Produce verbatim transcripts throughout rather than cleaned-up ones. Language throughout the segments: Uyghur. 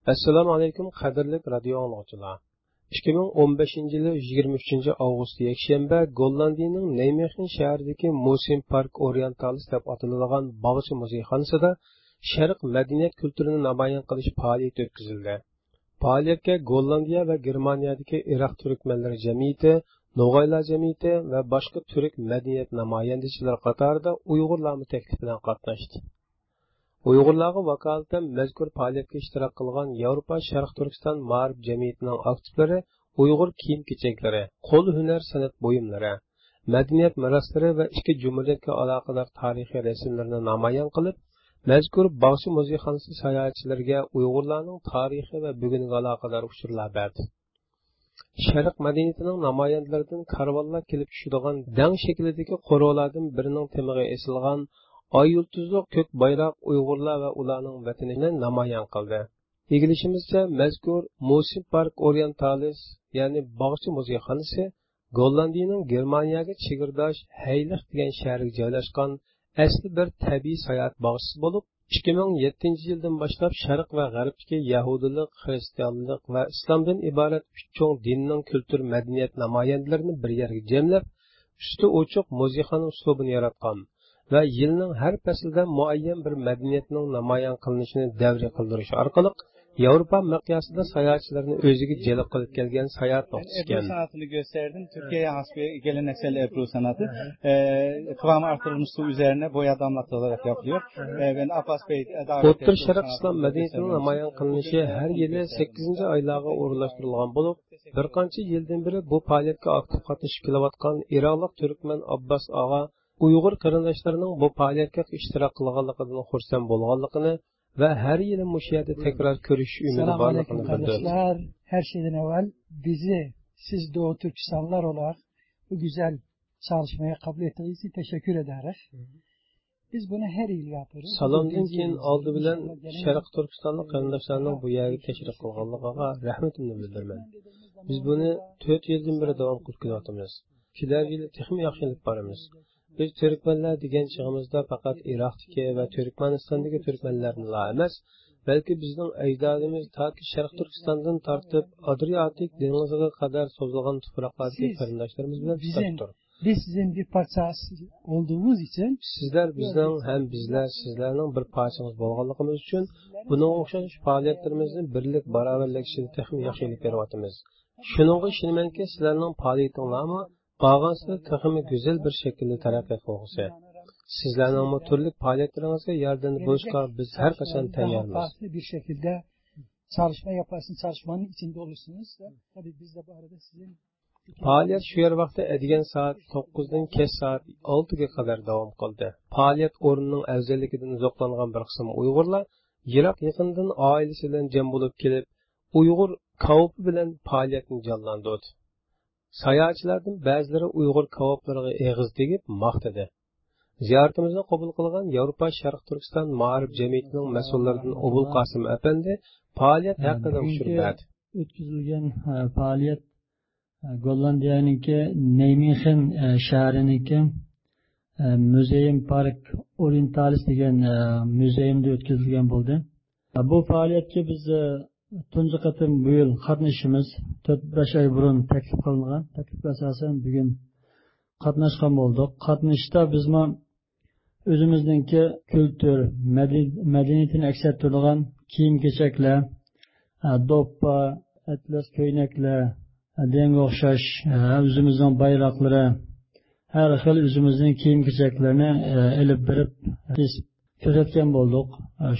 ئەسسالامۇ ئەلەيكۇم، قەدىرلىك رادىيو ئاڭلىغۇچىلار. ئىككى مىڭ ئون بەشىنچى يىلى يىگىرمە ئۈچىنچى ئاۋغۇست يەكشەنبە گوللاندىيىنىڭ نەيمېخېن شەھىرىدىكى موسىن پارك ئوريېنتالىس دەپ ئاتىلىدىغان باغچە مۇزېيخانىسىدا شەرق مەدەنىيەت كۈلتۈرىنى نامايان قىلىش پائالىيىتى ئۆتكۈزۈلدى. پائالىيەتكە گوللاندىيە ۋە گېرمانىيەدىكى ئىراق تۈركمەنلىرى جەمئىيىتى، نوغايلار جەمئىيىتى ۋە باشقا تۈرك مەدەنىيەت نامايەندىچىلىرى قاتارىدا ئۇيغۇرلارمۇ تەكلىپ بىلەن قاتناشتى. ئۇيغۇرلارغا ۋاكالىتەن مەزكۇر پائالىيەتكە ئىشتىراك قىلغان ياۋروپا شەرق تۈركىستان مائارىپ جەمئىيىتىنىڭ ئاكتىپلىرى ئۇيغۇر كىيىم-كېچەكلىرى، قول ھۈنەر سەنئەت بۇيۇملىرى، مەدەنىيەت مىراسلىرى ۋە ئىككى جۇمھۇرىيەتكە ئالاقىدار تارىخىي رەسىملىرىنى نامايان قىلىپ، مەزكۇر باغچە مۇزېيخانىسى ساياھەتچىلىرىگە ئۇيغۇرلارنىڭ تارىخى ۋە بۈگۈنىگە ئالاقىدار ئۇچۇرلار بەردى. شەرق مەدەنىيىتىنىڭ نامايەندىلىرىدىن كارۋانلار كېلىپ چۈشىدىغان دەڭ شەكلىدىكى قورۇلاردىن بىرىنىڭ تېمىغا ئېسىلغان ئاي يۇلتۇزلۇق كۆك بايراق ئۇيغۇرلار ۋە ئۇلارنىڭ ۋەتىنىنى نامايان قىلدى. ئىگىلىشىمىزچە، مەزكۇر موسىن پارك ئوريېنتالىس، يەنى باغچە مۇزېيخانىسى، گوللاندىيىنىڭ گېرمانىيەگە چېگرىداش ھەيلىخ دېگەن شەھەرگە جايلاشقان ئەسلى بىر تەبىئىي ساياھەت باغچىسى بولۇپ، ئىككى مىڭ يەتتىنچى يىلدىن باشلاپ شەرق ۋە غەربتىكى يەھۇدىيلىق، خىرىستىيانلىق ۋە ئىسلامدىن ئىبارەت ئۈچ چوڭ دىننىڭ كۈلتۈر، مەدەنىيەت نامايەندىلىرىنى بىر يەرگە جەملەپ، ئۈستى ئوچۇق مۇزېيخانا ئۇسلۇبىنى ياراتقان ۋە يىلنىڭ ھەر پەسلىدە مۇئەييەن بىر مەدەنىيەتنىڭ نامايان قىلىنىشىنى دەۋرىي قىلدۇرۇش ئارقىلىق، ياۋروپا مىقياسىدا ساياھەتچىلەرنى ئۆزىگە جەلپ قىلىپ كەلگەن ساياھەت نۇقتىسى ئىكەن. Ebru sanatını gösterdim. Türkiye'ye has bir geleneksel Ebru sanatı. Ee, kıvamı artırılmış su üzerine boya damlatılarak yapılıyor. Ee, ben Abbas Bey, e, davet ئوتتۇرا شەرق ئىسلام مەدەنىيىتىنىڭ نامايان قىلىنىشى ھەر يىلى سەككىزىنچى ئايلارغا ئورۇنلاشتۇرۇلغان بولۇپ، بىر قانچە يىلدىن بېرى بۇ پائالىيەتكە ئاكتىپ قاتنىشىپ كېلىۋاتقان ئىراقلىق تۈركمەن ئابباس ئاغا ئۇيغۇر قېرىنداشلىرىنىڭ بۇ پائالىيەتكە ئىشتىراك قىلغانلىقىدىن خۇرسەن بولغانلىقىنى ۋە ھەر يىلى مۇشۇ يەردە تەكرار كۆرۈشۈش ئۈمىدى بارلىقىنى بىلدۈردى. Selamünaleyküm kardeşler. Her şeyden evvel bizi, siz Doğu Türkistanlılar olarak bu güzel çalışmaya kabul ettiğiniz için teşekkür ederiz. Biz bunu her yıl yapıyoruz. سالامدىن كېيىن ئالدى بىلەن شەرقىي تۈركىستانلىق قېرىنداشلارنىڭ بۇ يەرگە تەشرىپ قىلغانلىقىغا رەھمىتىمنى بىلدۈرىمەن. بىز بۇنى تۆت يىلدىن بېرى داۋام قىلىپ كېلىۋاتىمىز. كېلەر يىلى تېخىمۇ ياخشى ئېلىپ بارىمىز. بىز تۈركمەنلەر دېگەن چېغىمىزدا پەقەت ئىراقتىكى ۋە تۈركمەنىستاندىكى تۈركمەنلەرنىلا ئەمەس، بەلكى بىزنىڭ ئەجدادىمىز تاكى شەرقىي تۈركىستاندىن تارتىپ ئادرىئاتىك دېڭىزىغا قەدەر سوزۇلغان تۇپراقلاردىكى قېرىنداشلىرىمىز بىلەن تۇتاش تۇر. Biz sizin bir parçası olduğumuz için سىزلەر بىزنىڭ ھەم بىزلەر سىزلەرنىڭ بىر پارچىڭىز بولغانلىقىمىز ئۈچۈن بۇنىڭغا ئوخشاش پائالىيەتلىرىمىزنى بىرلىك، باراۋەرلىك ئىچىدە تېخىمۇ ياخشى ئېلىپ بېرىۋاتىمىز. شۇنىڭغا ئىشىنىمەنكى، سىلەرنىڭ پائالىيىتىڭلارمۇ بارغانسېرى تېخىمۇ گۈزەل بىر شەكىلدە تەرەققىي قىلغۇسى. سىزلەرنىڭمۇ تۈرلۈك پائالىيەتلىرىڭىزگە ياردەمدە بولۇشقا بىز ھەر قاچان تەييارمىز. Bir şekilde çalışma yaparsınız, çalışmanın içinde olursunuz. Tabii biz de bu arada sizin پائالىيەت شۇ يەر ۋاقتى ئەتىگەن سائەت توققۇزدىن كەچ سائەت ئالتىگە قەدەر داۋام قىلدى. پائالىيەت ئورنىنىڭ ئەۋزەللىكىدىن زوقلانغان بىر قىسىم ئۇيغۇرلار يىراق يېقىندىن ئائىلىسى بىلەن جەم بولۇپ كېلىپ، ئۇيغۇر كاۋىپى بىلەن پائالىيەتنى جانلاندۇردى. ساياھەتچىلەردىن بەزىلىرى ئۇيغۇر كاۋاپلىرىغا ئېغىز تېگىپ ماختىدى. زىيارىتىمىزنى قوبۇل قىلغان ياۋروپا شەرقىي تۈركىستان مائارىپ جەمئىيىتىنىڭ مەسئۇللىرىدىن ئوبۇل قاسىم ئەپەندى پائالىيەت ھەققىدە ئۇچۇر بۈگۈنكى بەردى. ئۆتكۈزۈلگەن، ئە، پائالىيەت، ئە، گوللاندىيەنىڭكى نەيمېخېن، ئە، شەھىرىنىڭكى، ئە، مۇزېيېم پارك ئوريېنتالىس دېگەن، ئە، مۇزېيىمدا ئۆتكۈزۈلگەن بولدى. بۇ پائالىيەتكە بىز، ئە، تۇنجى قېتىم بۇ يىل قاتنىشىشىمىز تۆت، بەش ئاي بۇرۇن تەكلىپ قىلىنغان. تەكلىپكە ئاساسەن بۈگۈن قاتناشقان بولدۇق. قاتنىشىشتا بىزمۇ ئۆزىمىزنىڭكى كۈلتۈر، مەدەن-، مەدەنىيىتىنى ئەكس ئەتتۈرىدىغان كىيىم-كېچەكلەر، ئە، دوپپا، ئەتلەس كۆينەكلەر، ئە، دېگەنگە ئوخشاش، ئە، ئۆزىمىزنىڭ بايراقلىرى، ھەر خىل ئۆزىمىزنىڭ كىيىم-كېچەكلىرىنى، ئە، ئېلىپ بېرىپ، ئە، كۆرسەتكەن بولدۇق.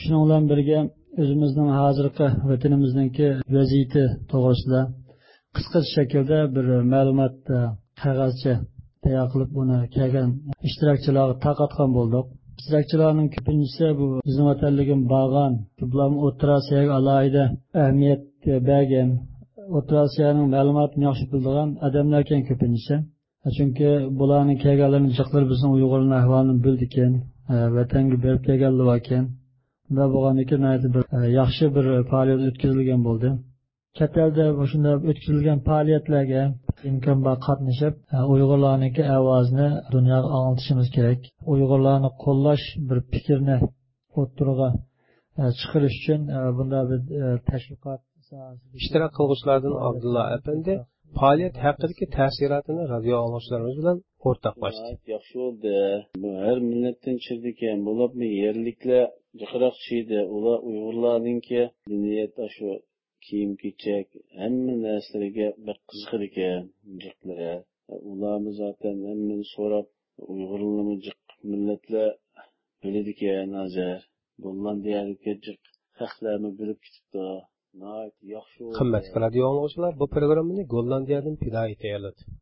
شۇنىڭ بىلەن بىرگە، ئۆزىمىزنىڭ ھازىرقى ۋەتىنىمىزنىڭكى ۋەزىيىتى توغرىسىدا قىسقىچە شەكىلدە بىر مەلۇمات، قەغەزچە تەييار قىلىپ، ئۇنى كەلگەن ئىشتىراكچىلارغا تارقاتقان بولدۇق. ئىشتىراكچىلارنىڭ كۆپىنچىسى بۇ بىزنىڭ ۋەتەنلىكىمۇ بارغان، بۇلارمۇ ئوتتۇرا ئاسىياغا ئالاھىدە ئەھمىيەت بەرگەن، ئوتتۇرا ئاسىيانىڭ مەلۇماتىنى ياخشى بىلىدىغان ئادەملەركەن كۆپىنچىسى. چۈنكى بۇلارنىڭ كەلگەنلىرىنىڭ جىقلىرى بىزنىڭ ئۇيغۇرلارنىڭ ئەھۋالىنى بىلىدىكەن، ۋەتەنگە بېرىپ كەلگەنلىرى باركەن. بۇنداق بولغاندىكىن ناھايىتى بىر، ياخشى بىر پائالىيەت ئۆتكۈزۈلگەن بولدى. چەت ئەلدە مۇشۇنداق ئۆتكۈزۈلگەن پائالىيەتلەرگە ئىمكان بار قاتنىشىپ، ئۇيغۇرلارنىڭكى ئاۋازىنى دۇنياغا ئاڭلىتىشىمىز كېرەك. ئۇيغۇرلارنى قوللاش بىر پىكىرنى ئوتتۇرىغا ئە، چىقىرىش ئۈچۈن، ئە، بۇنداق بىر، ئە، تەشۋىقات ساھەسىدىكى ئىشتىراك قىلغۇچىلاردىن ئابدۇللا ئەپەندى پائالىيەت ھەققىدىكى تەسىراتىنى رادىيو ئاڭلىغۇچىلىرىمىز بىلەن ئورتاقلاشتى. ناھايىتى ياخشى بولدى. بۇ ھەر مىللەتتىن چىقىدىكەن، بولۇپمۇ يەرلىكلەر جىقراق چىقتى. ئۇلار ئۇيغۇرلارنىڭكى مەدەنىيەت، ئاشۇ كىيىم-كېچەك، ھەممە نەرسىلىرىگە بەك قىزىقىدىكەن، جىقلىرى. ئۇلارمۇ زاتەن ھەممىنى سوراپ، ئۇيغۇرلىرىمۇ جىق مىللەتلەر بىلىدىكەن ھازىر. گوللاندىيەدىكى جىق خەقلەرمۇ بىلىپ كېتىپتۇ. ناھايىتى ياخشى بولدى. قىممەتلىك رادىيو ئاڭلىغۇچىلار، بۇ پروگراممىنى گوللاندىيەدىن پىدائىي تەييارلىدى.